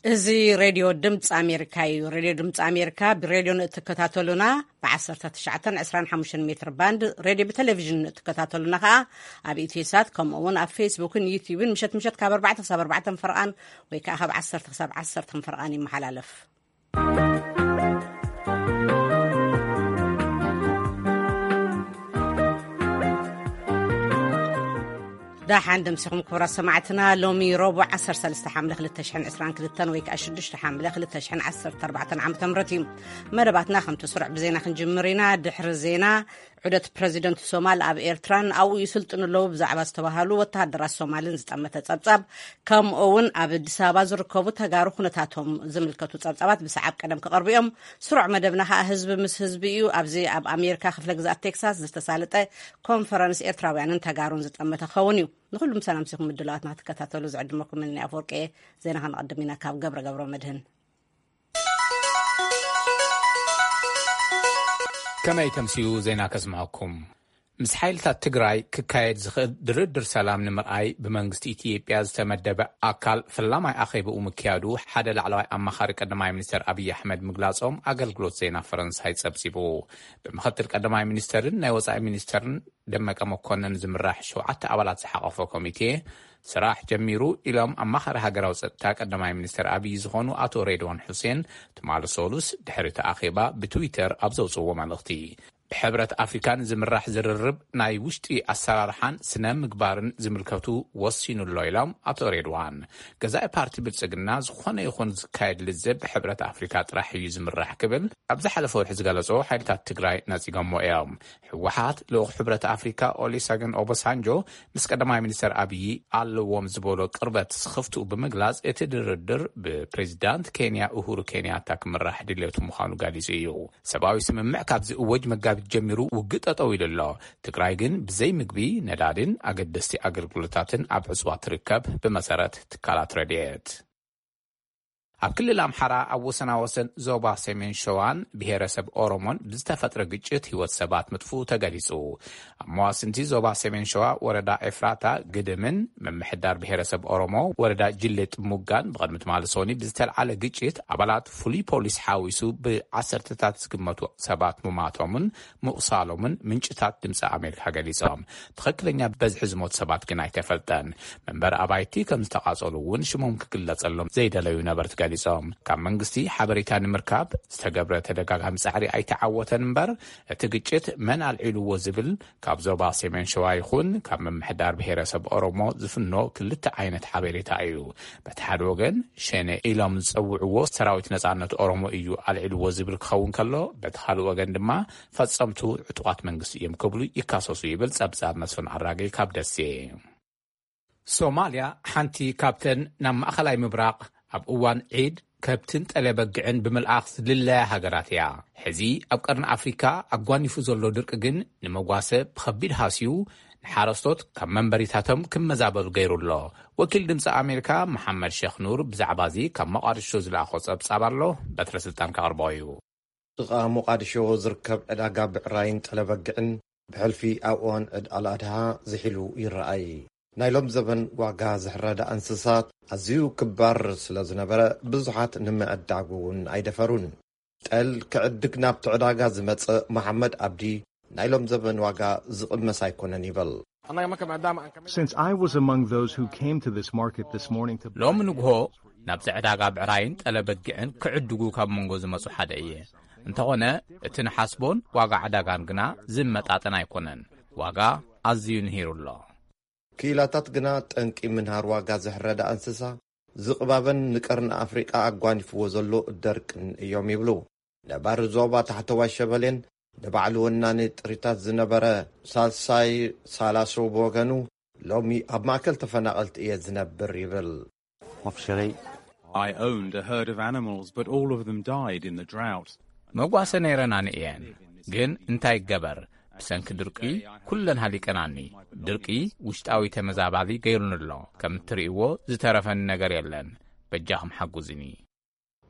እዚ ሬድዮ ድምፂ ኣሜሪካ እዩ። ሬድዮ ድምፂ ኣሜሪካ ብሬድዮ ንእትከታተሉና፣ ብ19፣ 25 ሜትር ባንድ ሬድዮ፣ ብቴሌቪዥን ንእትከታተሉና ከዓ ኣብ ኢትዮሳት፣ ከምኡ እውን ኣብ ፌስቡክን ዩቲዩብን ምሸት ምሸት ካብ ኣርባዕተ ክሳብ ኣርባዕተ ፈርቓን ወይ ከዓ ካብ ዓሰርተ ክሳብ ዓሰርተ ፈርቓን ይመሓላለፍ። ዳሓን ደምሲኹም ክቡራት ሰማዕትና። ሎሚ ረቡዕ 13 ሓምለ 2022 ወይ ከዓ 6 ሓምለ 2014 ዓ.ም እዩ። መደባትና ከምቲ ስሩዕ ብዜና ክንጅምር ኢና። ድሕሪ ዜና፣ ዑደት ፕረዚደንት ሶማል ኣብ ኤርትራን ኣብኡ ይስልጥኑ ኣለዉ ብዛዕባ ዝተባሃሉ ወተሃደራት ሶማልን ዝጠመተ ጸብጻብ፣ ከምኡ እውን ኣብ ኣዲስ ኣበባ ዝርከቡ ተጋሩ ኩነታቶም ዝምልከቱ ጸብጻባት ብሰዓብ ቀደም ክቐርቡ እዮም። ስሩዕ መደብና ከዓ ህዝቢ ምስ ህዝቢ እዩ። ኣብዚ ኣብ ኣሜሪካ ክፍለ ግዛት ቴክሳስ ዝተሳለጠ ኮንፈረንስ ኤርትራውያንን ተጋሩን ዝጠመተ ክኸውን እዩ። ንኹሉ ምሳና ምሲኹም ምድላዋትና ክትከታተሉ ዝዕድመኩም እኔ ኣፈወርቂ እየ። ዜና ከነቐድም ኢና ካብ ገብረ ገብረ መድህን። ከመይ ተምስዩ ዜና ከስምዐኩም። ምስ ሓይልታት ትግራይ ክካየድ ዝኽእል ድርድር ሰላም ንምርኣይ ብመንግስቲ ኢትዮጵያ ዝተመደበ ኣካል ፈላማይ ኣኼብኡ ምክያዱ ሓደ ላዕለዋይ ኣማኻሪ ቀዳማይ ሚኒስትር ኣብይ ኣሕመድ ምግላጾም ኣገልግሎት ዜና ፈረንሳይ ጸብጺቡ። ብምኽትል ቀዳማይ ሚኒስትርን ናይ ወጻኢ ሚኒስትርን ደመቀ መኮንን ዝምራሕ ሸውዓተ ኣባላት ዝሓቐፈ ኮሚቴ ስራሕ ጀሚሩ ኢሎም ኣማኻሪ ሃገራዊ ጸጥታ ቀዳማይ ሚኒስትር ኣብይ ዝኾኑ ኣቶ ሬድዋን ሑሴን ትማሊ ሰሉስ ድሕሪ እቲ ኣኼባ ብትዊተር ኣብ ዘውፅዎ መልእኽቲ፣ ብሕብረት ኣፍሪካን ዝምራሕ ዝርርብ ናይ ውሽጢ ኣሰራርሓን ስነ ምግባርን ዝምልከቱ ወሲኑ ኣሎ ኢሎም ኣቶ ሬድዋን። ገዛኢ ፓርቲ ብልጽግና ዝኾነ ይኹን ዝካየድ ልዝብ ብሕብረት ኣፍሪካ ጥራሕ እዩ ዝምራሕ ክብል ኣብ ዝሓለፈ ወርሒ ዝገለጾ ሓይልታት ትግራይ ነጺጎሞ እዮም። ህወሓት ልኡኽ ሕብረት ኣፍሪካ ኦሊሰገን ኦባሳንጆ ምስ ቀዳማይ ሚኒስትር ኣብዪ ኣለዎም ዝበሎ ቅርበት ስኽፍትኡ ብምግላጽ፣ እቲ ድርድር ብፕሬዚዳንት ኬንያ ኡሁሩ ኬንያታ ክምራሕ ድልየቱ ምዃኑ ገሊጹ እዩ። ሰብኣዊ ስምምዕ ካብ ዝእወጅ መጋቢት ጀሚሩ ውግእ ጠጠው ኢሉ ኣሎ። ትግራይ ግን ብዘይ ምግቢ፣ ነዳድን ኣገደስቲ ኣገልግሎታትን ኣብ ዕጽዋ ትርከብ፣ ብመሰረት ትካላት ረድኤት። ኣብ ክልል ኣምሓራ ኣብ ወሰናወሰን ዞባ ሰሜን ሸዋን ብሄረሰብ ኦሮሞን ብዝተፈጥረ ግጭት ህይወት ሰባት ምጥፍኡ ተገሊጹ። ኣብ መዋስንቲ ዞባ ሰሜን ሸዋ ወረዳ ኤፍራታ ግድምን ምምሕዳር ብሄረሰብ ኦሮሞ ወረዳ ጅሌ ጥሙጋን ብቕድሚ ትማሊ ሰኒ ብዝተልዓለ ግጭት ኣባላት ፍሉይ ፖሊስ ሓዊሱ ብዓሰርተታት ዝግመቱ ሰባት ምማቶምን ምቑሳሎምን ምንጭታት ድምፂ ኣሜሪካ ገሊጾም። ትኽክለኛ በዝሒ ዝሞት ሰባት ግን ኣይተፈልጠን። መንበሪ ኣባይቲ ከም ዝተቓጸሉ እውን ሽሞም ክግለጸሎም ዘይደለዩ ነበርቲ ገሊጾም። ካብ መንግስቲ ሓበሬታ ንምርካብ ዝተገብረ ተደጋጋሚ ጻዕሪ ኣይተዓወተን እምበር፣ እቲ ግጭት መን ኣልዒልዎ ዝብል ካብ ዞባ ሰሜን ሸዋ ይኹን ካብ ምምሕዳር ብሄረሰብ ኦሮሞ ዝፍኖ ክልተ ዓይነት ሓበሬታ እዩ። በቲ ሓደ ወገን ሸኔ ኢሎም ዝጸውዕዎ ሰራዊት ነጻነት ኦሮሞ እዩ ኣልዒልዎ ዝብል ክኸውን ከሎ፣ በቲ ካልእ ወገን ድማ ፈጸምቱ ዕጡቓት መንግስቲ እዮም ክብሉ ይካሰሱ ይብል ጸብጻብ መስፍን ኣራጌ ካብ ደሴ። ሶማልያ ሓንቲ ካብተን ናብ ማእኸላይ ምብራቕ ኣብ እዋን ዒድ ከብትን ጠለ በግዕን ብምልኣኽ ዝልለያ ሃገራት እያ። ሕዚ ኣብ ቀርኒ ኣፍሪካ ኣጓኒፉ ዘሎ ድርቂ ግን ንመጓሰ ብኸቢድ ሃስዩ፣ ንሓረስቶት ካብ መንበሪታቶም ክመዛበሉ ገይሩ ኣሎ። ወኪል ድምፂ ኣሜሪካ መሓመድ ሸኽ ኑር ብዛዕባ እዚ ካብ መቃድሾ ዝለኣኾ ጸብጻብ ኣሎ፣ በትረ ስልጣን ከቕርቦ እዩ። ጥቓ ሞቓድሾ ዝርከብ ዕዳጋ ብዕራይን ጠለበግዕን ብሕልፊ ኣብ እዋን ዕድ ኣልኣድሃ ዝሒሉ ይረኣይ። ናይ ሎም ዘበን ዋጋ ዝሕረዳ እንስሳት ኣዝዩ ክባር ስለ ዝነበረ፣ ብዙሓት ንምዕዳጉ እውን ኣይደፈሩን። ጠል ክዕድግ ናብቲ ዕዳጋ ዝመጸ መሓመድ ኣብዲ፣ ናይ ሎም ዘበን ዋጋ ዝቕመስ ኣይኮነን ይብል። Since I was among those who came to this market this morning to ሎሚ ንግሆ ናብዚ ዕዳጋ ብዕራይን ጠለበግዕን ክዕድጉ ካብ መንጎ ዝመጹ ሓደ እየ። እንተኾነ እቲ ንሓስቦን ዋጋ ዕዳጋን ግና ዝመጣጠን ኣይኮነን። ዋጋ ኣዝዩ ንሂሩ ኣሎ። ክኢላታት ግና ጠንቂ ምንሃር ዋጋ ዝሕረዳ እንስሳ ዝቕባበን ንቀርኒ ኣፍሪቃ ኣጓኒፍዎ ዘሎ ደርቅን እዮም ይብሉ። ነባሪ ዞባ ታሕተዋይ ሸበሌን ንባዕሉ ወናኒ ጥሪታት ዝነበረ ሳልሳይ ሳላሶ ብወገኑ፣ ሎሚ ኣብ ማእከል ተፈናቐልቲ እየ ዝነብር ይብል። I owned a herd of animals, but all of them died in the drought. መጓሰ ነይረናኒ እየን፣ ግን እንታይ ይገበር፣ ብሰንኪ ድርቂ ኩለን ሃሊቀናኒ። ድርቂ ውሽጣዊ ተመዛባሊ ገይሩኒ ኣሎ። ከም እትርእይዎ ዝተረፈኒ ነገር የለን። በጃኹም ሓጉዝኒ።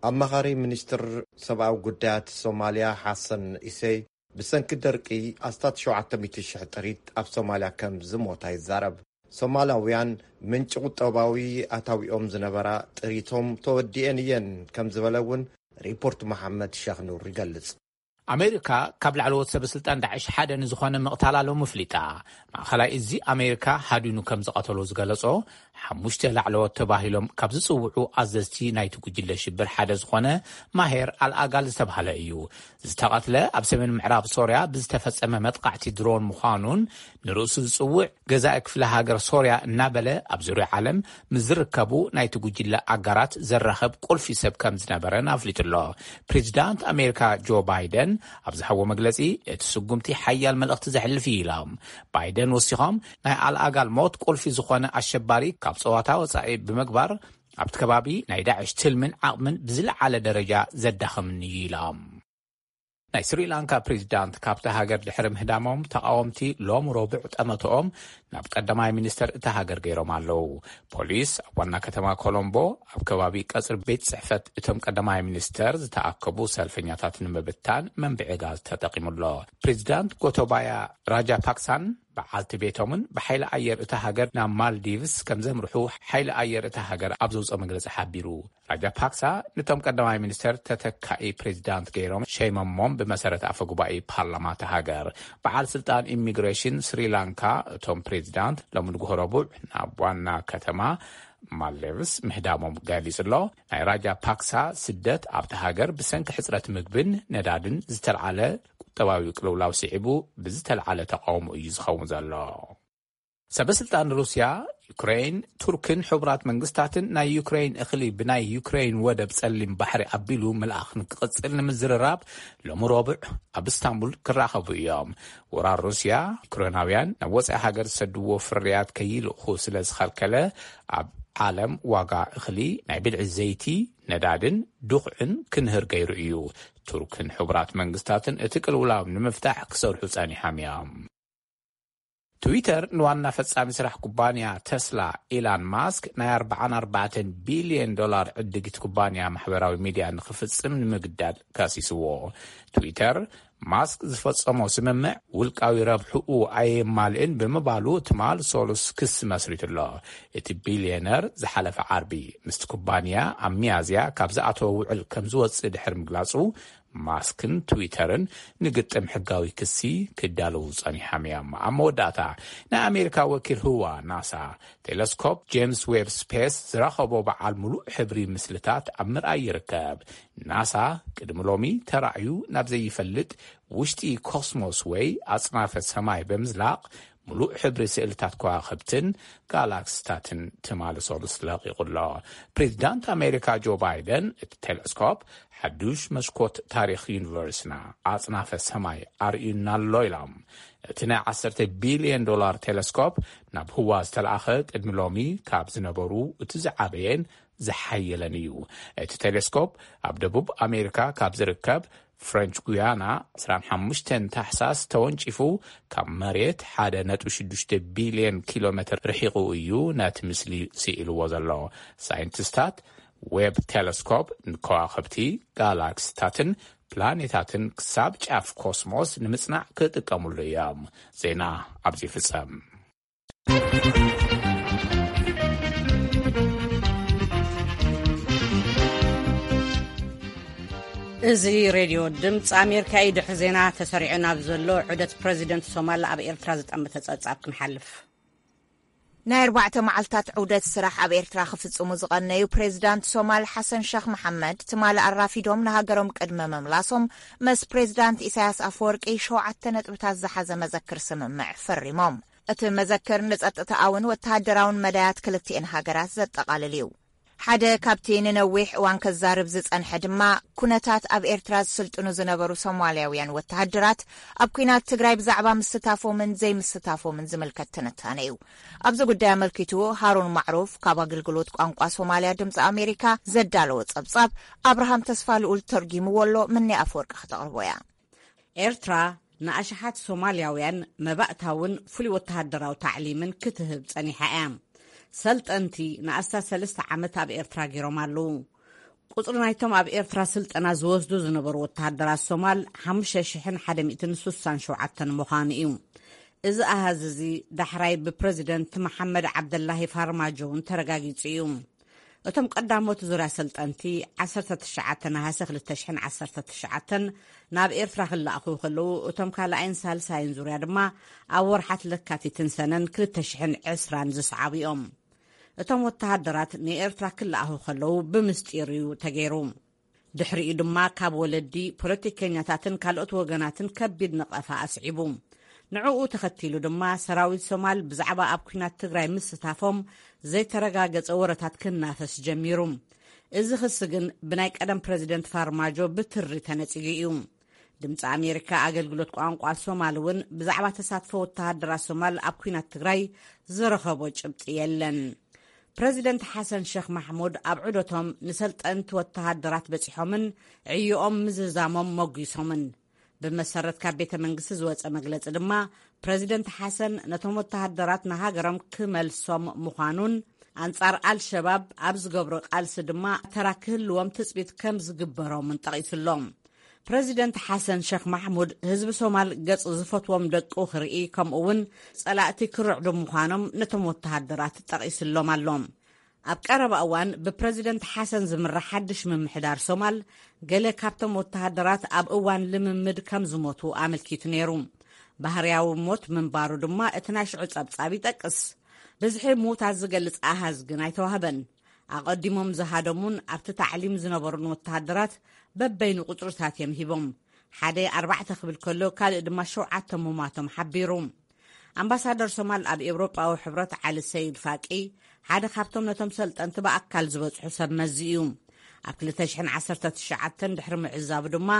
ኣማኻሪ ሚኒስትር ሰብኣዊ ጉዳያት ሶማልያ ሓሰን ኢሰይ፣ ብሰንኪ ደርቂ ኣስታት ሸውዓተ ሚእቲ ሽሕ ጥሪት ኣብ ሶማልያ ከም ዝሞታ ይዛረብ። ሶማላውያን ምንጪ ቁጠባዊ ኣታዊኦም ዝነበራ ጥሪቶም ተወዲኤን እየን ከም ዝበለ እውን ሪፖርት መሓመድ ሸኽ ኑር ይገልጽ። ኣሜሪካ ካብ ላዕለዎት ሰበ ስልጣን ዳዕሽ ሓደ ንዝኾነ ምቕታላ ሎሚ ኣፍሊጣ። ማእኸላይ እዚ ኣሜሪካ ሃዲኑ ከም ዝቐተሎ ዝገለጾ ሓሙሽተ ላዕለዎት ተባሂሎም ካብ ዝጽውዑ ኣዘዝቲ ናይቲ ጉጅለ ሽብር ሓደ ዝኾነ ማሄር ኣልኣጋል ዝተባህለ እዩ። ዝተቐትለ ኣብ ሰሜን ምዕራብ ሶርያ ብዝተፈጸመ መጥቃዕቲ ድሮን ምዃኑን ንርእሱ ዝጽውዕ ገዛኢ ክፍለ ሃገር ሶርያ እናበለ ኣብ ዙርያ ዓለም ምስ ዝርከቡ ናይቲ ጉጅለ ኣጋራት ዘራኸብ ቁልፊ ሰብ ከም ዝነበረን ኣፍሊጡ ኣሎ። ፕሬዚዳንት ኣሜሪካ ጆ ባይደን ኣብ ዝሃቦ መግለጺ፣ እቲ ስጉምቲ ሓያል መልእኽቲ ዘሕልፍ እዩ ኢሎም። ባይደን ወሲኾም፣ ናይ ኣልኣጋል ሞት ቁልፊ ዝኾነ ኣሸባሪ ካብ ጸዋታ ወጻኢ ብምግባር ኣብቲ ከባቢ ናይ ዳዕሽ ትልምን ዓቕምን ብዝለዓለ ደረጃ ዘዳኸምን እዩ ኢሎም። ናይ ስሪላንካ ፕሬዚዳንት ካብቲ ሃገር ድሕሪ ምህዳሞም፣ ተቓወምቲ ሎም ረቡዕ ጠመተኦም ናብ ቀዳማይ ሚኒስተር እታ ሃገር ገይሮም ኣለዉ። ፖሊስ ኣብ ዋና ከተማ ኮሎምቦ ኣብ ከባቢ ቀጽሪ ቤት ጽሕፈት እቶም ቀዳማይ ሚኒስተር ዝተኣከቡ ሰልፈኛታት ንምብታን መንብዒ ጋዝ ተጠቒሙ ኣሎ። ፕሬዚዳንት ጎቶባያ ራጃፓክሳን በዓልቲ ቤቶምን ብሓይሊ ኣየር እታ ሃገር ናብ ማልዲቭስ ከም ዘምርሑ ሓይሊ ኣየር እታ ሃገር ኣብ ዘውፅኦ መግለፂ ሓቢሩ። ራጃፓክሳ ነቶም ቀዳማይ ሚኒስተር ተተካኢ ፕሬዚዳንት ገይሮም ሸይመሞም፣ ብመሰረት ኣፈ ጉባኤ ፓርላማ እታ ሃገር። በዓል ስልጣን ኢሚግሬሽን ስሪላንካ እቶም ፕሬዚዳንት ሎሚ ንግሆ ረቡዕ ናብ ዋና ከተማ ማልዲቭስ ምህዳሞም ገሊጹ ኣሎ። ናይ ራጃፓክሳ ስደት ኣብቲ ሃገር ብሰንኪ ሕጽረት ምግብን ነዳድን ዝተልዓለ ቁጠባዊ ቅልውላው ስዒቡ ብዝተልዓለ ተቃውሞ እዩ ዝኸውን ዘሎ። ሰበስልጣን ሩስያ፣ ዩክሬን፣ ቱርክን ሕቡራት መንግስታትን ናይ ዩክሬን እኽሊ ብናይ ዩክሬን ወደብ ጸሊም ባሕሪ ኣቢሉ ምልኣኽ ንክቕጽል ንምዝርራብ ሎሚ ረቡዕ ኣብ እስታንቡል ክራኸቡ እዮም። ወራር ሩስያ፣ ዩክሬናውያን ናብ ወጻኢ ሃገር ዝሰድዎ ፍርያት ከይልእኹ ስለ ዝኸልከለ፣ ኣብ ዓለም ዋጋ እኽሊ፣ ናይ ብልዒ ዘይቲ፣ ነዳድን ዱኽዕን ክንህር ገይሩ እዩ። ቱርክን ሕቡራት መንግስታትን እቲ ቅልውላው ንምፍታሕ ክሰርሑ ጸኒሖም እዮም። ትዊተር ንዋና ፈጻሚ ስራሕ ኩባንያ ተስላ ኢላን ማስክ ናይ ኣርባዓን ኣርባዕተን ቢልዮን ዶላር ዕድጊት ኩባንያ ማሕበራዊ ሚድያ ንኽፍጽም ንምግዳድ ከሲስዎ። ትዊተር ማስክ ዝፈጸሞ ስምምዕ ውልቃዊ ረብሕኡ ኣየማልእን ብምባሉ ትማል ሶሉስ ክሲ መስሪቱ ኣሎ። እቲ ቢልዮነር ዝሓለፈ ዓርቢ ምስቲ ኩባንያ ኣብ ሚያዝያ ካብ ዝኣተወ ውዕል ከም ዝወጽእ ድሕሪ ምግላጹ፣ ማስክን ትዊተርን ንግጥም ሕጋዊ ክሲ ክዳለዉ ጸኒሖም እዮም። ኣብ መወዳእታ፣ ናይ ኣሜሪካ ወኪል ህዋ ናሳ፣ ቴለስኮፕ ጄምስ ዌብ ስፔስ ዝረኸቦ በዓል ምሉእ ሕብሪ ምስልታት ኣብ ምርኣይ ይርከብ። ናሳ ቅድሚ ሎሚ ተራእዩ ናብ ዘይፈልጥ ውሽጢ ኮስሞስ ወይ ኣጽናፈ ሰማይ ብምዝላቕ፣ ምሉእ ሕብሪ ስእልታት ከዋኽብትን ጋላክስታትን ትማሊ ሰሉስ ለቒቑ ኣሎ። ፕሬዚዳንት ኣሜሪካ ጆ ባይደን፣ እቲ ቴለስኮፕ ሓዱሽ መስኮት ታሪኽ ዩኒቨርስና፣ ኣጽናፈ ሰማይ ኣርእዩና ኣሎ ኢሎም። እቲ ናይ ዓሰርተ ቢልዮን ዶላር ቴለስኮፕ ናብ ህዋ ዝተላእኸ ቅድሚ ሎሚ ካብ ዝነበሩ እቲ ዝዓበየን ዝሓየለን እዩ። እቲ ቴሌስኮፕ ኣብ ደቡብ ኣሜሪካ ካብ ዝርከብ ፍሬንች ጉያና ዕስራን ሓሙሽተን ታሕሳስ ተወንጪፉ፣ ካብ መሬት ሓደ ነጥቢ ሽዱሽተ ቢልዮን ኪሎ ሜትር ርሒቑ እዩ ነቲ ምስሊ ስኢልዎ ዘሎ። ሳይንቲስታት ዌብ ቴሌስኮፕ ንከዋኽብቲ፣ ጋላክሲታትን ፕላኔታትን ክሳብ ጫፍ ኮስሞስ ንምጽናዕ ክጥቀሙሉ እዮም። ዜና ኣብዚ ይፍጸም። እዚ ሬድዮ ድምፂ ኣሜሪካ እዩ። ድሕሪ ዜና ተሰሪዑ ናብ ዘሎ ዑደት ፕረዚደንት ሶማል ኣብ ኤርትራ ዝጠመተ ጸብጻብ ክንሓልፍ። ናይ ኣርባዕተ መዓልታት ዑደት ስራሕ ኣብ ኤርትራ ክፍጽሙ ዝቐነዩ ፕሬዚዳንት ሶማል ሓሰን ሸኽ መሓመድ፣ ትማሊ ኣራፊዶም ንሃገሮም ቅድሚ ምምላሶም፣ ምስ ፕሬዚዳንት ኢሳያስ ኣፈወርቂ ሸውዓተ ነጥብታት ዝሓዘ መዘክር ስምምዕ ፈሪሞም። እቲ መዘክር ንጸጥታኣውን ወተሃደራውን መዳያት ክልቲኤን ሃገራት ዘጠቓልል እዩ። ሓደ ካብቲ ንነዊሕ እዋን ከዛርብ ዝጸንሐ ድማ፣ ኩነታት ኣብ ኤርትራ ዝስልጥኑ ዝነበሩ ሶማልያውያን ወተሃደራት ኣብ ኲናት ትግራይ ብዛዕባ ምስታፎምን ዘይምስታፎምን ዝምልከት ትንታነ እዩ። ኣብዚ ጉዳይ ኣመልኪቱ፣ ሃሩን ማዕሩፍ ካብ ኣገልግሎት ቋንቋ ሶማልያ ድምፂ ኣሜሪካ ዘዳለዎ ጸብጻብ፣ ኣብርሃም ተስፋ ልኡል ተርጒምዎ ኣሎ። ምኒ ኣፈወርቂ ክተቕርቦ እያ። ኤርትራ ንኣሽሓት ሶማልያውያን መባእታውን ፍሉይ ወተሃደራዊ ታዕሊምን ክትህብ ጸኒሓ እያ። ሰልጠንቲ ንኣስታት ሰለስተ ዓመት ኣብ ኤርትራ ገይሮም ኣለዉ። ቁጽሪ ናይቶም ኣብ ኤርትራ ስልጠና ዝወስዱ ዝነበሩ ወተሃደራት ሶማል ሓሙሽተ ሽሕን ሓደ ሚእትን ስሳን ሸውዓተን ምዃኑ እዩ። እዚ ኣሃዝ እዚ ዳሕራይ ብፕረዚደንት መሓመድ ዓብደላሂ ፋርማጆ እውን ተረጋጊጹ እዩ። እቶም ቀዳሞት ዙርያ ሰልጠንቲ ዓሰርተ ትሽዓተ ነሃሰ ክልተ ሽሕን ዓሰርተ ትሽዓተን ናብ ኤርትራ ክለኣኹ ከለዉ፣ እቶም ካልኣይን ሳልሳይን ዙርያ ድማ ኣብ ወርሓት ለካቲትን ሰነን ክልተ ሽሕን ዕስራን ዝሰዓቡ እዮም። እቶም ወተሃደራት ንኤርትራ ክለኣኹ ከለዉ ብምስጢር እዩ ተገይሩ። ድሕሪኡ ድማ ካብ ወለዲ፣ ፖለቲከኛታትን ካልኦት ወገናትን ከቢድ ነቐፋ ኣስዒቡ። ንዕኡ ተኸቲሉ ድማ ሰራዊት ሶማል ብዛዕባ ኣብ ኲናት ትግራይ ምስታፎም ዘይተረጋገጸ ወረታት ክናፈስ ጀሚሩ። እዚ ክሲ ግን ብናይ ቀደም ፕረዚደንት ፋርማጆ ብትሪ ተነጺጉ እዩ። ድምፂ ኣሜሪካ ኣገልግሎት ቋንቋ ሶማል እውን ብዛዕባ ተሳትፎ ወተሃደራት ሶማል ኣብ ኲናት ትግራይ ዝረኸቦ ጭብጢ የለን። ፕረዚደንት ሓሰን ሸኽ ማሕሙድ ኣብ ዑደቶም ንሰልጠንቲ ወተሃደራት በጺሖምን ዕዮኦም ምዝዛሞም መጒሶምን። ብመሰረት ካብ ቤተ መንግስቲ ዝወጸ መግለጺ ድማ፣ ፕረዚደንት ሓሰን ነቶም ወተሃደራት ንሃገሮም ክመልሶም ምዃኑን ኣንጻር ኣልሸባብ ኣብ ዝገብሮ ቃልሲ ድማ ተራ ክህልዎም ትጽቢት ከም ዝግበሮምን ጠቒሱሎም። ፕረዚደንት ሓሰን ሸኽ ማሕሙድ ህዝቢ ሶማል ገጽ ዝፈትዎም ደቁ ክርኢ፣ ከምኡ እውን ጸላእቲ ክርዕዱ ምዃኖም ነቶም ወተሃደራት ጠቒስሎም ኣሎ። ኣብ ቀረባ እዋን ብፕረዚደንት ሓሰን ዝምራሕ ሓድሽ ምምሕዳር ሶማል፣ ገለ ካብቶም ወተሃደራት ኣብ እዋን ልምምድ ከም ዝሞቱ ኣመልኪቱ ነይሩ። ባህርያዊ ሞት ምንባሩ ድማ እቲ ናይ ሽዑ ጸብጻብ ይጠቅስ። ብዝሒ ምዉታት ዝገልጽ ኣሃዝ ግን ኣይተዋህበን። ኣቐዲሞም ዝሃደሙን ኣብቲ ታዕሊም ዝነበሩን ወተሃደራት በበይኑ ቁጽርታት እዮም ሂቦም። ሓደ ኣርባዕተ ክብል ከሎ፣ ካልእ ድማ ሸውዓተ ምሟቶም ሓቢሩ። ኣምባሳደር ሶማል ኣብ ኤውሮጳዊ ሕብረት ዓሊ ሰይድ ፋቂ ሓደ ካብቶም ነቶም ሰልጠንቲ ብኣካል ዝበጽሑ ሰብ መዚ እዩ። ኣብ ክልተ ሽሕን ዓሰርተ ትሽዓተን ድሕሪ ምዕዛቡ ድማ፣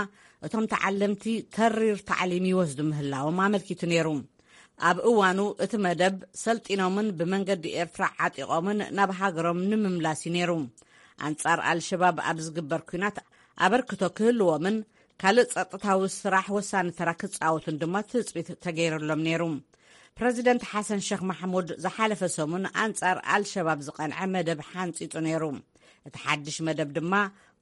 እቶም ተዓለምቲ ተሪር ታዕሊም ይወስዱ ምህላዎም ኣመልኪቱ ነይሩ። ኣብ እዋኑ እቲ መደብ ሰልጢኖምን ብመንገዲ ኤርትራ ዓጢቖምን ናብ ሃገሮም ንምምላስ እዩ ነይሩ። ኣንጻር ኣልሸባብ ኣብ ዝግበር ኲናት ኣበርክቶ ክህልዎምን ካልእ ጸጥታዊ ስራሕ ወሳኒ ተራ ክጻወቱን ድማ ትጽቢት ተገይርሎም ነይሩ። ፕረዚደንት ሓሰን ሸኽ ማሕሙድ ዝሓለፈ ሰሙን ኣንጻር ኣልሸባብ ዝቐንዐ መደብ ሓንጺጹ ነይሩ። እቲ ሓድሽ መደብ ድማ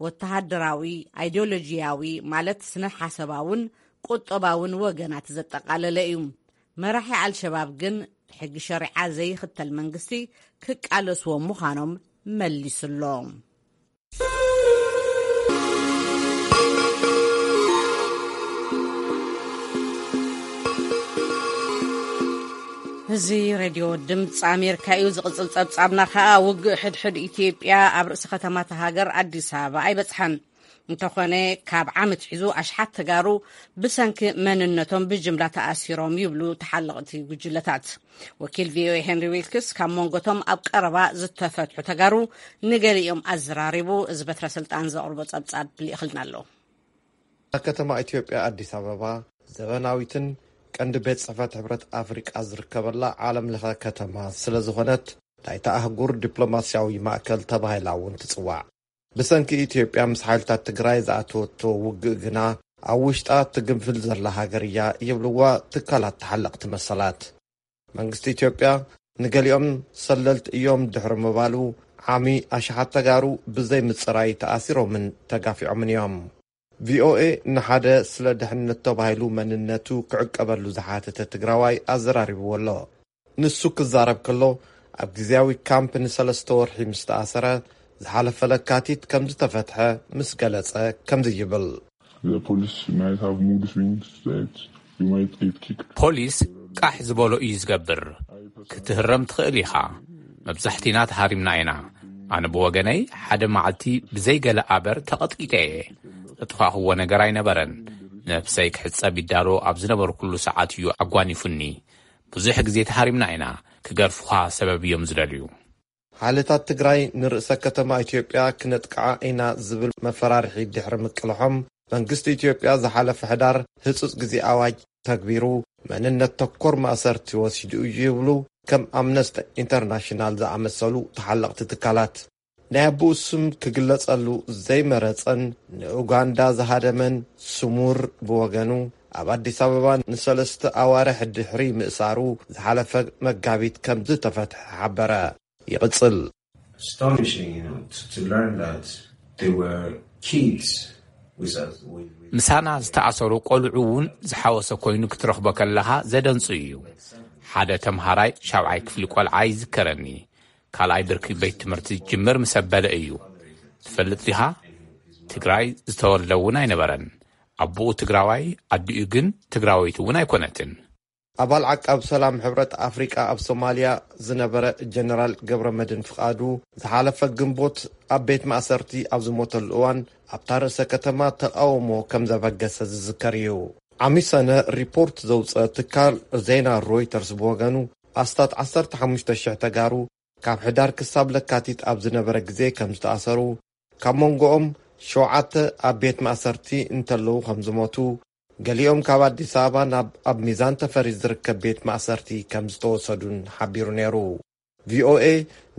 ወተሃደራዊ፣ ኣይዲዮሎጂያዊ፣ ማለት ስነ ሓሳባውን ቁጠባውን ወገናት ዘጠቓለለ እዩ። መራሒ ኣልሸባብ ግን ሕጊ ሸሪዓ ዘይኽተል መንግስቲ ክቃለስዎም ምዃኖም መሊሱሎ። እዚ ሬድዮ ድምፂ ኣሜሪካ እዩ። ዝቕፅል ፀብፃብና ከዓ፣ ውግእ ሕድሕድ ኢትዮጵያ ኣብ ርእሲ ከተማታ ሃገር ኣዲስ ኣበባ ኣይበፅሓን። እንተኾነ፣ ካብ ዓመት ሒዙ ኣሽሓት ተጋሩ ብሰንኪ መንነቶም ብጅምላ ተኣሲሮም ይብሉ ተሓለቕቲ ጉጅለታት። ወኪል ቪኦኤ ሄንሪ ዊልክስ ካብ መንጎቶም ኣብ ቀረባ ዝተፈትሑ ተጋሩ ንገሊኦም ኣዘራሪቡ። እዚ በትረ ስልጣን ዘቕርቦ ጸብጻብ ልኢኽልና ኣሎ። ኣብ ከተማ ኢትዮጵያ ኣዲስ ኣበባ፣ ዘበናዊትን ቀንዲ ቤት ጽሕፈት ሕብረት ኣፍሪቃ ዝርከበላ ዓለም ለኸ ከተማ ስለ ዝኾነት፣ ናይታ ኣህጉር ዲፕሎማስያዊ ማእከል ተባሂላ እውን ትጽዋዕ። ብሰንኪ ኢትዮጵያ ምስ ሓይልታት ትግራይ ዝኣተወቶ ውግእ ግና፣ ኣብ ውሽጣ ትግንፍል ዘላ ሃገር እያ ይብልዋ ትካላት ተሓለቕቲ መሰላት። መንግስቲ ኢትዮጵያ ንገሊኦም ሰለልቲ እዮም ድሕሪ ምባሉ፣ ዓሚ ኣሽሓት ተጋሩ ብዘይ ምጽራይ ተኣሲሮምን ተጋፊዖምን እዮም። ቪኦኤ ንሓደ ስለ ድሕንነት ተባሂሉ መንነቱ ክዕቀበሉ ዝሓተተ ትግራዋይ ኣዘራሪብዎ ኣሎ። ንሱ ክዛረብ ከሎ፣ ኣብ ግዝያዊ ካምፕ ንሰለስተ ወርሒ ምስ ተኣሰረ፣ ዝሓለፈ ለካቲት ከም ዝተፈትሐ ምስ ገለጸ፣ ከምዚ ይብል። The police might have mood swings that you might get kicked. ፖሊስ ቃሕ ዝበሎ እዩ ዝገብር። ክትህረም ትኽእል ኢኻ። መብዛሕቲና ተሃሪምና ኢና። ኣነ ብወገነይ፣ ሓደ መዓልቲ ብዘይ ገለ ኣበር ተቐጥቂጠ እየ። ዘጥፋእኽዎ ነገር ኣይነበረን። ነብሰይ ክሕጸብ ይዳሎ ኣብ ዝነበርኩሉ ሰዓት እዩ ኣጓኒፉኒ። ብዙሕ ግዜ ተሃሪምና ኢና። ክገርፉኻ ሰበብ እዮም ዝደልዩ። ሓይልታት ትግራይ ንርእሰ ከተማ ኢትዮጵያ ክነጥቅዓ ኢና ዝብል መፈራርሒ ድሕሪ ምቅልሖም፣ መንግስቲ ኢትዮጵያ ዝሓለፈ ሕዳር ህጹጽ ግዜ ኣዋጅ ተግቢሩ፣ መንነት ተኮር ማእሰርቲ ወሲዱ እዩ ይብሉ ከም ኣምነስቲ ኢንተርናሽናል ዝኣመሰሉ ተሓለቕቲ ትካላት። ናይ ኣቦኡ ስም ክግለጸሉ ዘይመረጸን ንኡጋንዳ ዝሃደመን ስሙር ብወገኑ፣ ኣብ ኣዲስ ኣበባ ንሰለስተ ኣዋርሕ ድሕሪ ምእሳሩ፣ ዝሓለፈ መጋቢት ከም ዝተፈትሐ ሓበረ። ይቕጽል። Astonishing, you know, to, to learn that there were kids ምሳና ዝተኣሰሩ ቆልዑ እውን ዝሓወሰ ኮይኑ ክትረኽቦ ከለኻ ዘደንጹ እዩ። ሓደ ተምሃራይ ሻብዓይ ክፍሊ ቆልዓ ይዝከረኒ። ካልኣይ ብርኪ ቤት ትምህርቲ ዝጅምር ምስ ኣበለ እዩ። ትፈልጥ ዲኻ? ትግራይ ዝተወልደ እውን ኣይነበረን። ኣቦኡ ትግራዋይ፣ ኣዲኡ ግን ትግራወይቲ እውን ኣይኮነትን። ኣባል ዓቃብ ሰላም ሕብረት ኣፍሪቃ ኣብ ሶማልያ ዝነበረ ጀነራል ገብረ መድን ፍቓዱ ዝሓለፈ ግንቦት ኣብ ቤት ማእሰርቲ ኣብ ዝሞተሉ እዋን ኣብታ ርእሰ ከተማ ተቃውሞ ከም ዘበገሰ ዝዝከር እዩ። ዓሚሰነ ሪፖርት ዘውፀ ትካል ዜና ሮይተርስ ብወገኑ ኣስታት ዓሰርተ ሓሙሽተ ሽሕ ተጋሩ ካብ ሕዳር ክሳብ ለካቲት ኣብ ዝነበረ ግዜ ከም ዝተኣሰሩ፣ ካብ መንጎኦም ሸውዓተ ኣብ ቤት ማእሰርቲ እንተለዉ ከም ዝሞቱ፣ ገሊኦም ካብ ኣዲስ ኣበባ ናብ ኣብ ሚዛን ተፈሪ ዝርከብ ቤት ማእሰርቲ ከም ዝተወሰዱን ሓቢሩ ነይሩ። ቪኦኤ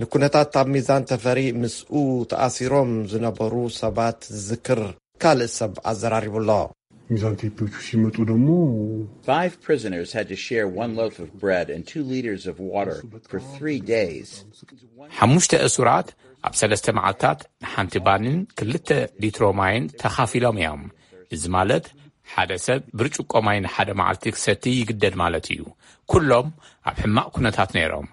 ንኩነታት ኣብ ሚዛን ተፈሪ ምስኡ ተኣሲሮም ዝነበሩ ሰባት ዝዝክር ካልእ ሰብ ኣዘራሪቡ ኣሎ። ሚዛን ቴፒዎቹ ሲመጡ ደግሞ Five prisoners had to share one loaf of bread and two liters of water for three days. ሓሙሽተ እሱራት ኣብ ሰለስተ መዓልታት ንሓንቲ ባንን ክልተ ሊትሮ ማይን ተኻፊሎም እዮም። እዚ ማለት ሓደ ሰብ ብርጭቆ ማይ ንሓደ መዓልቲ ክሰቲ ይግደድ ማለት እዩ። ኩሎም ኣብ ሕማቕ ኩነታት ነይሮም።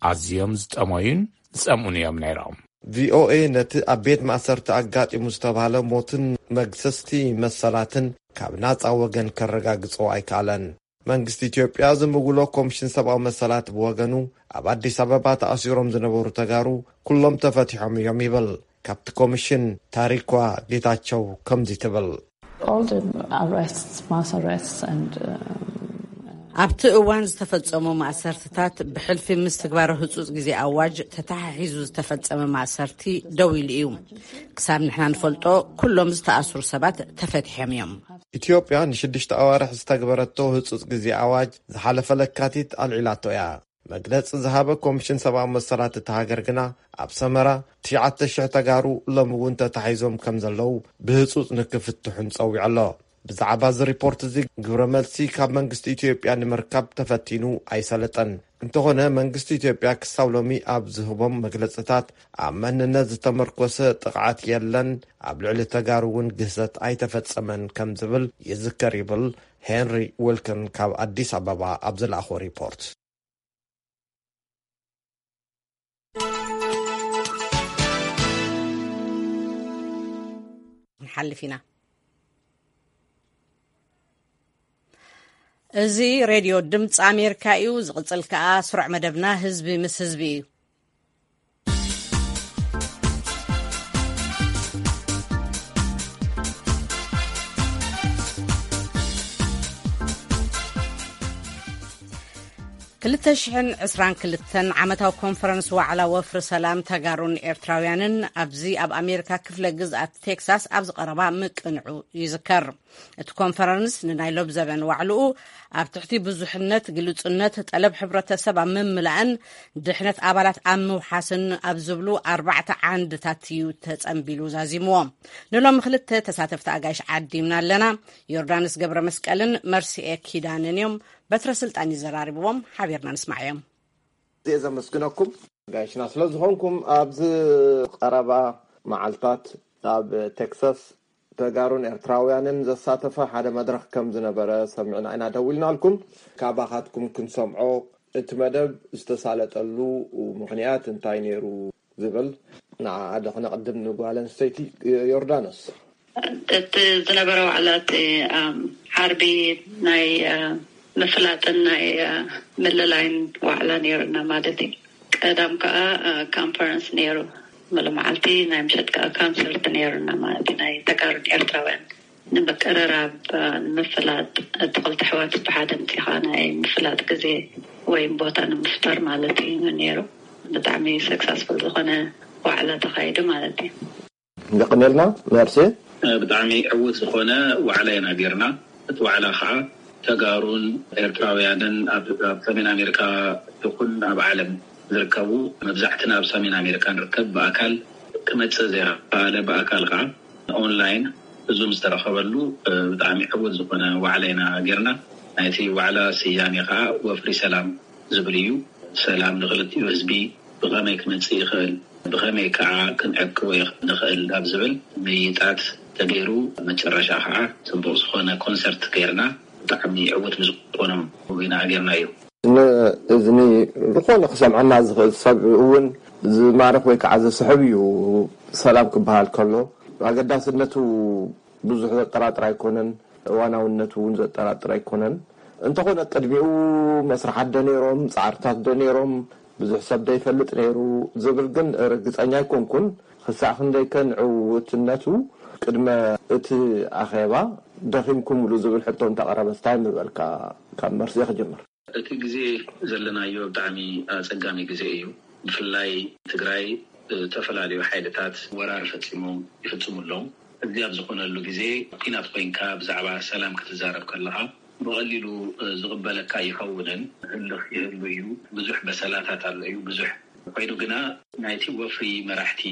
ኣዝዮም ዝጠመዩን ዝጸምኡን እዮም ነይሮም። ቪኦኤ ነቲ ኣብ ቤት ማእሰርቲ ኣጋጢሙ ዝተባህለ ሞትን መግሰስቲ መሰላትን ካብ ናጻ ወገን ከረጋግጾ ኣይከኣለን። መንግስቲ ኢትዮጵያ ዝምውሎ ኮሚሽን ሰብኣዊ መሰላት ብወገኑ፣ ኣብ ኣዲስ ኣበባ ተኣሲሮም ዝነበሩ ተጋሩ ኩሎም ተፈቲሖም እዮም ይብል። ካብቲ ኮሚሽን ታሪኳ ጌታቸው ከምዚ ትብል። All the arrests, mass arrests and, um, ኣብቲ እዋን ዝተፈጸሙ ማእሰርትታት ብሕልፊ ምስ ትግባረ ህጹጽ ግዜ ኣዋጅ ተተሓሒዙ ዝተፈጸመ ማእሰርቲ ደው ኢሉ እዩ። ክሳብ ንሕና ንፈልጦ ኩሎም ዝተኣስሩ ሰባት ተፈቲሖም እዮም። ኢትዮጵያ ንሽዱሽተ ኣዋርሕ ዝተግበረቶ ህጹጽ ግዜ ኣዋጅ ዝሓለፈ ለካቲት ኣልዒላቶ እያ። መግለጺ ዝሃበ ኮሚሽን ሰብኣዊ መሰላት እታ ሃገር ግና፣ ኣብ ሰመራ ትሽዓተ ሽሕ ተጋሩ ሎሚ እውን ተታሒዞም ከም ዘለዉ ብህጹጽ ንክፍትሑን ጸዊዑ ኣሎ። ብዛዕባ እዚ ሪፖርት እዚ ግብረ መልሲ ካብ መንግስቲ ኢትዮጵያ ንምርካብ ተፈቲኑ ኣይሰለጠን። እንተኾነ መንግስቲ ኢትዮጵያ ክሳብ ሎሚ ኣብ ዝህቦም መግለጽታት ኣብ መንነት ዝተመርኮሰ ጥቕዓት የለን፣ ኣብ ልዕሊ ተጋሩ እውን ግህሰት ኣይተፈጸመን ከም ዝብል ይዝከር ይብል ሄንሪ ዊልክን ካብ ኣዲስ ኣበባ ኣብ ዝለኣኾ ሪፖርት። ንሓልፍ ኢና። እዚ ሬድዮ ድምፂ ኣሜሪካ እዩ። ዝቕፅል ከኣ ስሩዕ መደብና ህዝቢ ምስ ህዝቢ እዩ። ክልተ ሽሕን ዕስራን ክልተን ዓመታዊ ኮንፈረንስ ዋዕላ ወፍሪ ሰላም ተጋሩን ኤርትራውያንን ኣብዚ ኣብ ኣሜሪካ ክፍለ ግዝኣት ቴክሳስ ኣብ ዝቐረባ ምቅንዑ ይዝከር። እቲ ኮንፈረንስ ንናይ ሎብ ዘበን ዋዕልኡ ኣብ ትሕቲ ብዙሕነት፣ ግሉጽነት፣ ጠለብ ሕብረተሰብ ኣብ ምምላእን ድሕነት ኣባላት ኣብ ምውሓስን ኣብ ዝብሉ ኣርባዕተ ዓንድታት እዩ ተጸንቢሉ ዛዚምዎ። ንሎሚ ክልተ ተሳተፍቲ ኣጋይሽ ዓዲምና ኣለና። ዮርዳኖስ ገብረ መስቀልን መርሲኤ ኪዳንን እዮም። በትረ ስልጣን ይዘራርብዎም፣ ሓቢርና ንስማዓዮም። እየ ዘመስግነኩም ጋይሽና ስለ ዝኾንኩም። ኣብዚ ቀረባ መዓልታት ኣብ ቴክሳስ ተጋሩን ኤርትራውያንን ዘሳተፈ ሓደ መድረኽ ከም ዝነበረ ሰሚዕና ኢና፣ ደዊልናልኩም። ካባኻትኩም ክንሰምዖ፣ እቲ መደብ ዝተሳለጠሉ ምኽንያት እንታይ ነይሩ ዝብል ንዓኣ ዶ ክነቕድም ንጓል ኣንስተይቲ ዮርዳኖስ? እቲ ዝነበረ ዋዕላ እቲ፣ ኣም፣ ዓርቢ ናይ፣ አ፣ ምፍላጥን ናይ፣ አ፣ ምልላይን ዋዕላ ነይሩና ማለት እዩ። ቀዳም ከኣ፣ አ፣ ካንፈረንስ ነይሩ። ሙሉ መዓልቲ ናይ ምሸት ከኣ ካንሰርት ነይሩና ማለት እዩ። ናይ ተጋሩን ኤርትራውያን ንምቅርራብ፣ አ፣ ንምፍላጥ፣ እቲ ክልተ ኣሕዋት ብሓደ ምጺኻ ናይ ምፍላጥ ግዜ ወይም ቦታ ንምፍጣር ማለት እዩ ነይሩ። ብጣዕሚ ሰክሰስፉል ዝኾነ ዋዕላ ተኻይዱ ማለት እዩ። የቐኔልና መርሴ። ብጣዕሚ ዕዉት ዝኾነ ዋዕላ ኢና ጌርና። እቲ ዋዕላ ኸዓ ተጋሩን ኤርትራውያንን ኣብ፣ ኣብ ሰሜን ኣሜሪካ ይኹን ኣብ ዓለም ዝርከቡ፣ መብዛሕትና ኣብ ሰሜን ኣሜሪካ ንርከብ፣ ብኣካል ክመጽእ ዘይኸኣለ ብኣካል ኸዓ ኦንላይን ብዙም ዝተረኸበሉ፣ ብጣዕሚ ዕዉት ዝኾነ ዋዕላ ኢና ጌርና። ናይቲ ዋዕላ ስያሜ ኸዓ ወፍሪ ሰላም ዝብል እዩ። ሰላም ንኽልቲኡ ህዝቢ ብኸመይ ክመጽእ ይኽእል፣ ብኸመይ ከዓ ክንዕቅቦ ይኽ-፣ ንኽእል ኣብ ዝብል ምይይጣት ተገይሩ፣ መጨረሻ ከዓ ፅቡቅ ዝኾነ ኮንሰርት ገይርና፣ ብጣዕሚ ዕውት ብዝኾነ ኢና ገይርናዮ። ንእዝኒ ዝኾነ ክሰምዐና ዝኽእል ሰብ እውን ዝማርኽ ወይ ከዓ ዘስሕብ እዩ። ሰላም ክበሃል ከሎ ኣገዳስነቱ ብዙሕ ዘጠራጥር ኣይኮነን። እዋናውነቱ እውን ዘጠራጥር ኣይኮነን። እንተኾነ ቅድሚኡ መስርሓት ዶ ነይሮም፣ ፃዕርታት ዶ ነይሮም፣ ብዙሕ ሰብ ዶ ይፈልጥ ነይሩ ዝብል ግን ርግፀኛ ኣይኮንኩን። ክሳዕ ክንደይከ ንዕውትነቱ ቅድመ እቲ ኣኼባ ደኺምኩምሉ ዝብል ሕቶ እንተቐረበስ እንታይ ምበልካ? ካብ መርሴ ክጅምር። እቲ ግዜ ዘለናዮ ብጣዕሚ ኣጸጋሚ ግዜ እዩ። ብፍላይ ትግራይ ዝተፈላለዩ ሓይልታት ወራር ፈጺሞም ይፍጽሙ ኣለዉ። እዚ ኣብ ዝኾነሉ ግዜ፣ ኲናት ኮይንካ ብዛዕባ ሰላም ክትዛረብ ከለኻ፣ ብቐሊሉ ዝቕበለካ ይኸውንን። ህልኽ ይህሉ እዩ። ብዙሕ በሰላታት ኣሎ እዩ። ብዙሕ ኮይኑ ግና፣ ናይቲ ወፍሪ መራሕቲ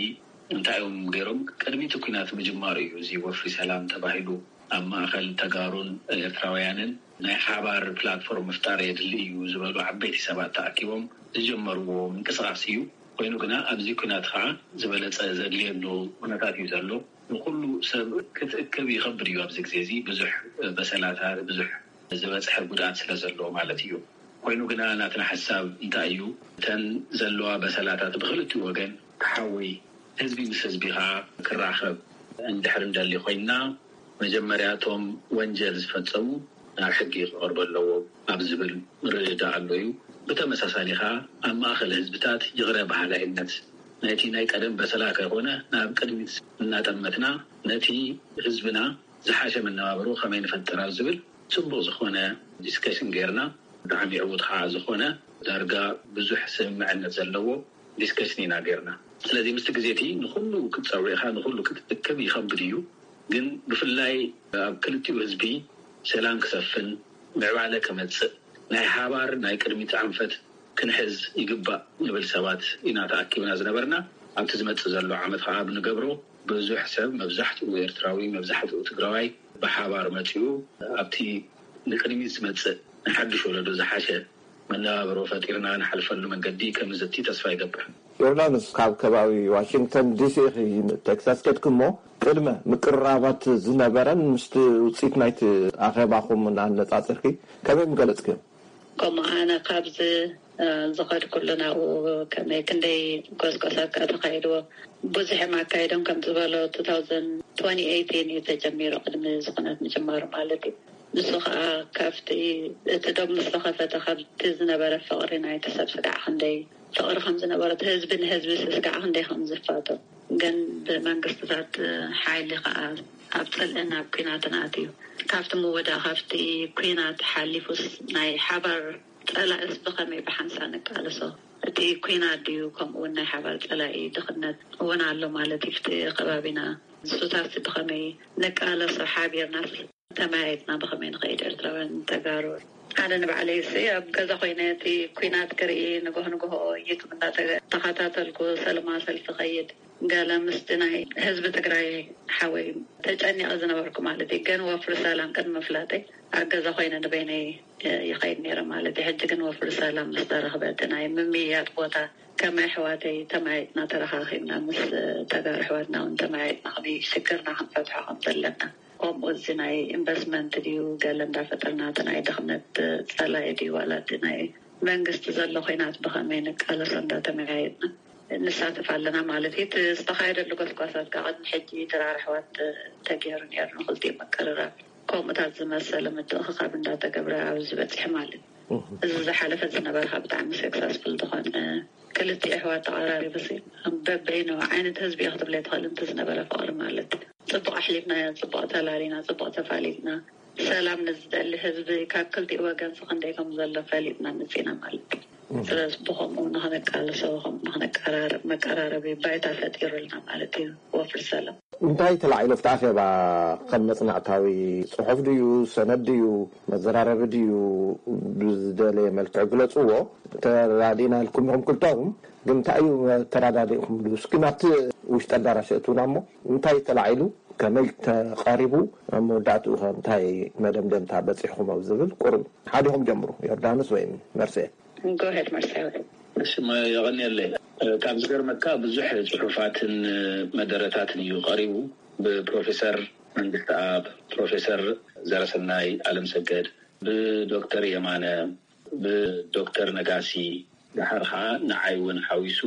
እንታይ እዮም ገይሮም? ቅድሚ እቲ ኲናት ምጅማሩ እዩ እዚ ወፍሪ ሰላም ተባሂሉ ኣብ ማእኸል ተጋሩን ኤርትራውያንን ናይ ሓባር ፕላትፎርም ምፍጣር የድሊ እዩ ዝበሉ ዓበይቲ ሰባት ተኣኪቦም ዝጀመርዎ ምንቅስቓስ እዩ። ኮይኑ ግና፣ ኣብዚ ኲናት ከዓ ዝበለፀ ዘድልየሉ ኩነታት እዩ ዘሎ። ንኩሉ ሰብ ክትእክብ ይኸብድ እዩ። ኣብዚ ግዜ እዚ ብዙሕ በሰላታት፣ ብዙሕ ዝበፅሐ ጉድኣት ስለ ዘሎ ማለት እዩ። ኮይኑ ግና፣ ናትና ሓሳብ እንታይ እዩ? እተን ዘለዋ በሰላታት ብክልቲኡ ወገን ክሓዊ፣ ህዝቢ ምስ ህዝቢ ከዓ ክራኸብ እንድሕር እንደሊ ኮይንና፣ መጀመርያ እቶም ወንጀል ዝፈጸሙ ናብ ሕጊ ክቐርቡ ኣለዎም ኣብ ዝብል ምርድዳእ ኣሎ እዩ። ብተመሳሳሊ ከዓ፣ ኣብ ማእከል ህዝብታት ይቕረ በሃላይነት፣ ነቲ ናይ ቀደም በሰላ ከይኮነ፣ ናብ ቅድሚት እናጠመትና፣ ነቲ ህዝብና ዝሓሸ መነባብሮ ከመይ ንፈጥር ኣብ ዝብል ጽቡቕ ዝኾነ ዲስከሽን ጌርና። ብጣዕሚ ዕዉት ከዓ ዝኾነ፣ ዳርጋ ብዙሕ ስምምዕነት ዘለዎ ዲስከሽን ኢና ጌርና። ስለዚ፣ ምስቲ ግዜ እቲ ንኹሉ ክትጸውዕ ኢኻ፣ ንኹሉ ክትእክብ ይኸብድ እዩ። ግን ብፍላይ ኣብ ክልቲኡ ህዝቢ ሰላም ክሰፍን፣ ምዕባለ ክመጽእ፣ ናይ ሓባር ናይ ቅድሚት ኣንፈት ክንሕዝ ይግባእ ንብል ሰባት ኢና ተኣኪብና ዝነበርና። ኣብቲ ዝመጽእ ዘሎ ዓመት ከዓ ብንገብሮ፣ ብዙሕ ሰብ፣ መብዛሕትኡ ኤርትራዊ፣ መብዛሕትኡ ትግራዋይ ብሓባር መጺኡ፣ ኣብቲ ንቅድሚት ዝመጽእ ንሓድሽ ወለዶ ዝሓሸ መነባብሮ ፈጢርና ንሓልፈሉ መንገዲ ከም ዝቲ ተስፋ ይገብር። ዮርዳኖስ፣ ካብ ከባቢ ዋሽንግተን ዲሲ ኢኺ ንቴክሳስ ከድኪ እሞ፣ ቅድመ ምቅርራባት ዝነበረን ምስቲ ውፅኢት ናይቲ ኣኼባኹም እናነፃፅርኪ ከመይ ምገለፅክዮ? ከምኡ ኣነ ካብዚ፣ እ፣ ዝኸድኩሉ ናብኡ ከመይ ክንደይ ጎስጎሳት ከኣ ተኻይድዎ። ብዙሕ እዮም ኣካይዶም፣ ከም ዝበሎ፣ two thousand twenty eighteen እዩ ተጀሚሩ፣ ቅድሚ እዚ ኩነት ምጅማሩ ማለት እዩ። ንሱ ከኣ ካብቲ፣ እቲ ዶብ ምስ ተኸፈተ፣ ካብቲ ዝነበረ ፍቕሪ ናይቲ ሰብ ስጋዕ ክንደይ ፍቕሪ ከም ዝነበሮ፣ እቲ ህዝቢ ንህዝቢ ስጋዕ ክንደይ ከም ዝፋቶ፣ ግን ብመንግስትታት ሓይሊ ከኣ ኣብ ጽልእን ኣብ ኲናትን ኣትዩ። ካብቲ ምውዳእ፣ ካብቲ ኲናት ሓሊፉስ ናይ ሓባር ጸላእስ ብኸመይ ብሓንሳ ንቃለሶ? እቲ ኲናት ድዩ፣ ከምኡ እውን ናይ ሓባር ጸላኢ ድኽነት እውን ኣሎ ማለት እዩ። ኣብቲ ከባቢና ንሱታትሲ ብኸመይ ንቃለሶ? ሓቢርናስ ተመያይጥና ብኸመይ ንኸይድ? ኤርትራውያን ተጋሩ ሓደ ንባዕለይሲ ኣብ ገዛ ኮይነ እቲ ኲናት ክርኢ፣ ንግሆ ንግሆ ዩቱብ እንዳተኸታተልኩ ሰለማዊ ሰልፊ ኸይድ፣ ገለ ምስቲ ናይ ህዝቢ ትግራይ ሓወይ ተጨኒቐ ዝነበርኩ ማለት እዩ። ግን ወፍሪ ሰላም ቅድሚ ምፍላጠይ ኣብ ገዛ ኮይነ ንበይነይ ይኸይድ ነይረ ማለት እዩ። ሕጂ ግን ወፍሪ ሰላም ምስ ተረኽበ፣ እቲ ናይ ምምይያጥ ቦታ ከም ኣሕዋተይ ተመያይጥና፣ ተረኻኺብና፣ ምስ ተጋሩ ኣሕዋትና እውን ተመያይጥና፣ ከመይ ሽግርና ክንፈትሖ ከም ዘለና፣ ከምኡ እዚ ናይ ኢንቨስትመንት ድዩ ገለ እንዳፈጠርና፣ እቲ ናይ ድኽነት ጸላኢ ድዩ ዋላ እቲ ናይ መንግስቲ ዘሎ ኹናት ብኸመይ ንቃለሶ እንዳተመያየጥና ንሳተፍ ኣለና ማለት እዩ። እቲ ዝተኻየደሉ ጎስጓሳት ካብ ቅድሚ ሕጂ ድራር ኣሕዋት ተገይሩ ነይሩ፣ ንኽልቲኡ ምቅርራብ ከምኡታት ዝመሰለ ምትእኽኻብ እንዳተገብረ ኣብዚ በፂሑ ማለት እዩ። እዚ ዝሓለፈ ዝነበረ ካብ ብጣዕሚ ሰክሰስፉል ዝኾነ፣ ክልቲኡ ኣሕዋት ተቐራሪቡ ሲ በበይኑ ዓይነት ህዝቢ እዩ ክትብለ ትኽእል፣ እንተ ዝነበረ ፍቕሪ ማለት እዩ። ጽቡቕ ኣሕሊፍናዮ፣ ጽቡቕ ተላሊና፣ ጽቡቕ ተፋሊጥና። ሰላም ንዝደሊ ህዝቢ ካብ ክልቲኡ ወገን ሲ ክንደይ ከም ዘሎ ፈሊጥና መጺና ማለት እዩ። ስለዚ ብኸምኡ ንኽንቃለሶ፣ ብኸምኡ ንኽንቀራረብ፣ መቀራረቢ ባይታ ፈጢሩልና ማለት እዩ ወፍሪ ሰላም። እንታይ ተላዒሉ ኣብቲ ኣኼባ? ከም መጽናዕታዊ ጽሑፍ ድዩ፣ ሰነድ ድዩ፣ መዘራረቢ ድዩ? ብዝደለየ መልክዕ ግለጽዎ። ተራዲእና ኢልኩም ኢኹም ክልተኹም፣ ግን እንታይ እዩ መተራዳዲእኹምሉ? እስኪ ናብቲ ውሽጢ ኣዳራሽ እትውና እሞ፣ እንታይ ተላዒሉ፣ ከመይ ተቐሪቡ፣ ኣብ መወዳእትኡ ኸ እንታይ መደምደምታ በጺሕኹም ኣብ ዝብል ቁሩብ ሓዲኹም ጀምሩ፣ ዮርዳኖስ ወይም መርሴ። ጎሄድ መርሳዊ። እሺ፣ መ-፣ የቐንየለይ። ካብ ዝገርመካ፣ ብዙሕ ጽሑፋትን መደረታትን እዩ ቀሪቡ። ብፕሮፌሰር መንግስትኣብ፣ ፕሮፌሰር ዘረሰናይ ኣለምሰገድ፣ ብዶክተር የማነ፣ ብዶክተር ነጋሲ፣ ደሓር ከዓ ንዓይ እውን ሓዊሱ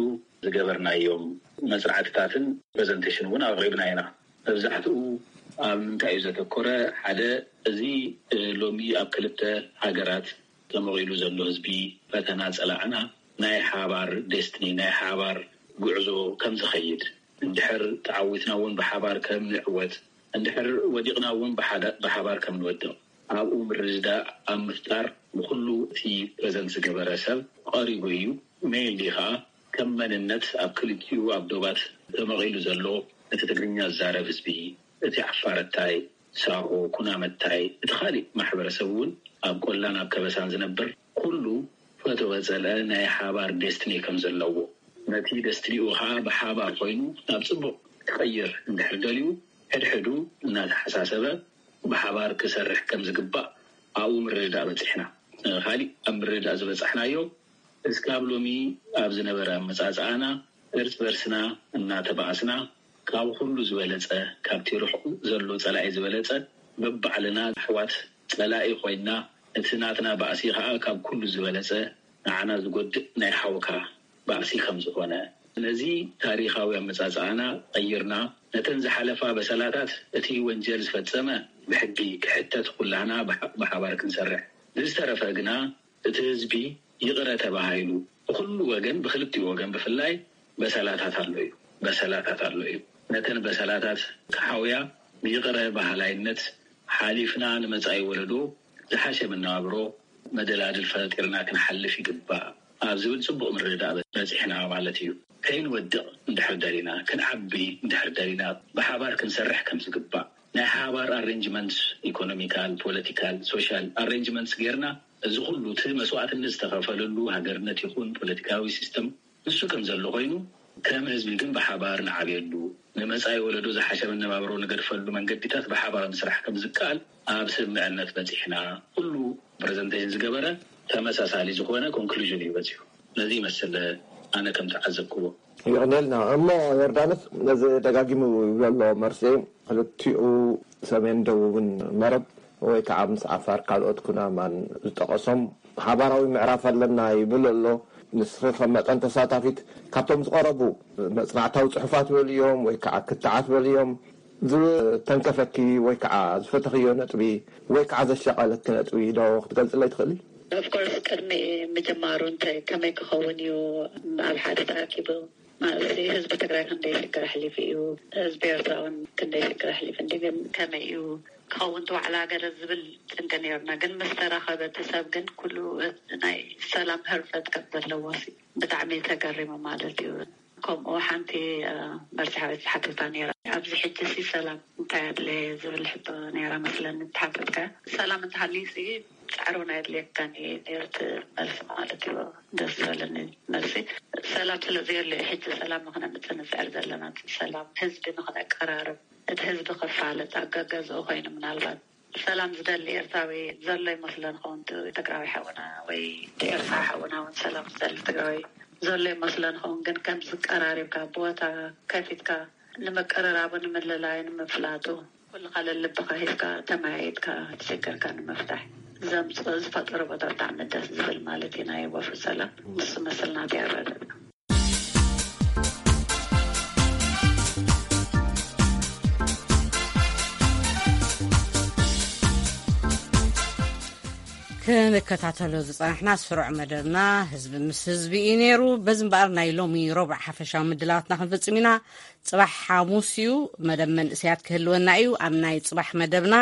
ዝገበርናዮም መፅናዕትታትን ፕሬዘንቴሽን እውን ኣቕሪብና ኢና። መብዛሕትኡ ኣብ ምንታይ እዩ ዘተኮረ? ሓደ፣ እዚ ሎሚ ኣብ ክልተ ሃገራት ተመቒሉ ዘሎ ህዝቢ ፈተና ጸላእና ናይ ሓባር ዴስትኒ፣ ናይ ሓባር ጉዕዞ ከም ዝኸይድ፣ እንድሕር ተዓዊትና እውን ብሓባር ከም ንዕወት፣ እንድሕር ወዲቕና እውን ብሓደ- ብሓባር ከም ንወድቕ፣ ኣብኡ ምርድዳእ ኣብ ምፍጣር ንኹሉ እቲ ፕሬዘንት ዝገበረ ሰብ ቀሪቡ እዩ። ሜይንሊ ከዓ ከም መንነት ኣብ ክልቲኡ ኣብ ዶባት ተመቒሉ ዘሎ እቲ ትግርኛ ዝዛረብ ህዝቢ፣ እቲ ዓፋረታይ፣ ሳሆ፣ ኩናመታይ፣ እቲ ካሊእ ማሕበረሰብ እውን ኣብ ቆላን ኣብ ከበሳን ዝነብር ኩሉ ፈተወ ጸልአ ናይ ሓባር ዴስትኒ ከም ዘለዎ፣ ነቲ ዴስትኒኡ ከዓ ብሓባር ኮይኑ ናብ ጽቡቕ ክቐይር እንድሕር ደልዩ ሕድሕዱ እናተሓሳሰበ ብሓባር ክሰርሕ ከም ዝግባእ ኣብኡ ምርድዳእ በጺሕና። ካሊእ ኣብ ምርድዳእ ዝበጻሕናዮ እስካብ ሎሚ ኣብ ዝነበረ ኣመጻጽኣና እርስ በርስና እናተባኣስና ካብ ኩሉ ዝበለጸ ካብቲ ርሑቕ ዘሎ ጸላኢ ዝበለጸ በባዕልና ኣሕዋት ጸላኢ ኮይና እቲ ናትና ባእሲ ከዓ ካብ ኩሉ ዝበለጸ ንዓና ዝጎድእ ናይ ሓውካ ባእሲ ከም ዝኾነ ነዚ ታሪኻዊ ኣመጻጽኣና ቀይርና ነተን ዝሓለፋ በሰላታት እቲ ወንጀል ዝፈጸመ ብሕጊ ክሕተት ኩላህና ብሓ- ብሓባር ክንሰርሕ ብዝተረፈ ግና እቲ ህዝቢ ይቕረ ተባሂሉ ብኹሉ ወገን ብክልቲኡ ወገን ብፍላይ በሰላታት ኣሎ እዩ በሰላታት ኣሎ እዩ ነተን በሰላታት ክሓውያ ብይቕረ ባህላይነት ሓሊፍና ንመጻኢ ወለዶ ዝሓሸ መነባብሮ መደላድል ፈጢርና ክንሓልፍ ይግባእ ኣብ ዝብል ጽቡቕ ምርድዳእ በጺሕና ማለት እዩ። ከይንወድቕ እንድሕር ደሊና ክንዓቢ እንድሕር ደሊና ብሓባር ክንሰርሕ ከም ዝግባእ ናይ ሓባር ኣሬንጅመንት ኢኮኖሚካል ፖለቲካል ሶሻል ኣሬንጅመንትስ ጌርና እዚ ኩሉ እቲ መስዋእትነት ዝተኸፈለሉ ሃገርነት ይኹን ፖለቲካዊ ሲስተም ንሱ ከም ዘሎ ኮይኑ ከም ህዝቢ ግን ብሓባር ንዓብየሉ ንመፃኢ ወለዶ ዝሓሸ መነባብሮ ንገድፈሉ መንገዲታት ብሓባር ምስራሕ ከም ዝከኣል ኣብ ስምምዕነት በፂሕና ኩሉ ፕረዘንቴሽን ዝገበረ ተመሳሳሊ ዝኾነ ኮንክሉዥን እዩ በፂሑ ነዚ ይመስል ኣነ ከም ተዓዘብክዎ የቕኔልና እሞ ዮርዳኖስ ነዚ ደጋጊሙ ይብሎ ኣሎ መርሴ ክልቲኡ ሰሜን ደቡብን መረብ ወይ ከዓ ምስ ዓፋር ካልኦት ኩናማን ዝጠቐሶም ሓባራዊ ምዕራፍ ኣለና ይብል ኣሎ። ንስኺ ከም መጠን ተሳታፊት ካብቶም ዝቐረቡ መፅናዕታዊ ፅሑፋት በልዮም ወይ ከዓ ክትዓት በልዮም ዝተንከፈኪ ወይ ከዓ ዝፈተኽዮ ነጥቢ ወይ ከዓ ዘሻቐለኪ ነጥቢ ዶ ክትገልፅለይ ትኽእሊ? Of course ቅድሚ ምጅማሩ እንታይ ከመይ ክኸውን እዩ ኣብ ሓደ ተኣኪቡ ማለት ህዝቢ ትግራይ ክንደይ ሽግር ኣሕሊፉ እዩ፣ ህዝቢ ኤርትራ እውን ክንደይ ሽግር ኣሕሊፉ እንዲ ግን ከመይ እዩ ክኸውን እቲ ዋዕላ ገለ ዝብል ጭንቂ ነይሩና። ግን ምስ ተራኸበ እቲ ሰብ ግን ኩሉ ናይ ሰላም ህርፈት ከም ዘለዎ ሲ ብጣዕሚ ተገሪሙ ማለት እዩ። ከምኡ ሓንቲ መርሲ ሓወይ ተሓቲታ ነይራ። ኣብዚ ሕጂ ሲ ሰላም እንታይ ኣድለየ ዝብል ሕቶ ነይራ መስለኒ ተሓተትካ። ሰላም እንተሃልዩ ሲ ፃዕሪ እውን ኣየድልየካን እዩ ነይሩ እቲ መልሲ ማለት እዩ። ደስ ዝበለኒ መልሲ ሰላም ስለ ዘየለ እዩ ሕጂ ሰላም ንክነምፅእ ንፅዕር ዘለና። እቲ ሰላም ህዝቢ ንክነቀራርብ እቲ ህዝቢ ክፋለጥ ኣጋገዝኡ ኮይኑ ምናልባት ሰላም ዝደሊ ኤርትራዊ ዘሎ ይመስሎ ንኸውን ትግራዊ ሓውና ወይ ኤርትራ ሓውና እውን ሰላም ዝደሊ ትግራዊ ዘሎ ይመስሎ ንኸውን ግን ከም ዝቀራሪብካ ቦታ ከፊትካ ንምቅርራቡ ንምልላዩ ንምፍላጡ ኩልኻ ለልብኻ ሂብካ ተመያይጥካ ትሽግርካ ንምፍታሕ ዘምፅኦ ዝፈጠሮ ቦታ ብጣዕሚ ደስ ዝብል ማለት እዩ ናይ ወፍሪ ሰላም ንሱ መስል ናተይ ኣረድእ ክንከታተሎ ዝጸናሕና ስሩዕ መደብና ህዝቢ ምስ ህዝቢ እዩ ነይሩ። በዚ እምበኣር ናይ ሎሚ ረቡዕ ሓፈሻዊ ምድላዋትና ክንፍጽም ኢና። ጽባሕ ሓሙስ እዩ፣ መደብ መንእሰያት ክህልወና እዩ። ኣብ ናይ ጽባሕ መደብና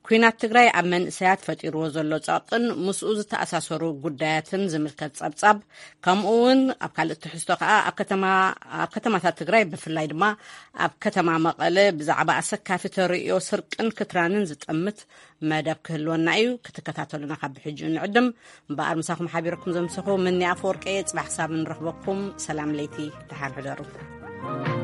ኲናት ትግራይ ኣብ መንእሰያት ፈጢርዎ ዘሎ ጸቕጥን ምስኡ ዝተኣሳሰሩ ጉዳያትን ዝምልከት ጸብጻብ፣ ከምኡ እውን ኣብ ካልእ ትሕዝቶ ከኣ ኣብ ከተማ ኣብ ከተማታት ትግራይ ብፍላይ ድማ ኣብ ከተማ መቐለ ብዛዕባ ኣሰካፊ ተርእዮ ስርቅን ክትራንን ዝጠምት መደብ ክህልወና እዩ። ክትከታተሉና ካብ ብሕጂ ንዕድም። እምበኣር ምሳኹም ሓቢረኩም ዘምሰኹ ምኒ ኣፈወርቂ እየ። ጽባሕ ክሳብ እንረኽበኩም ሰላም ለይቲ፣ ደሓን ሕደሩ።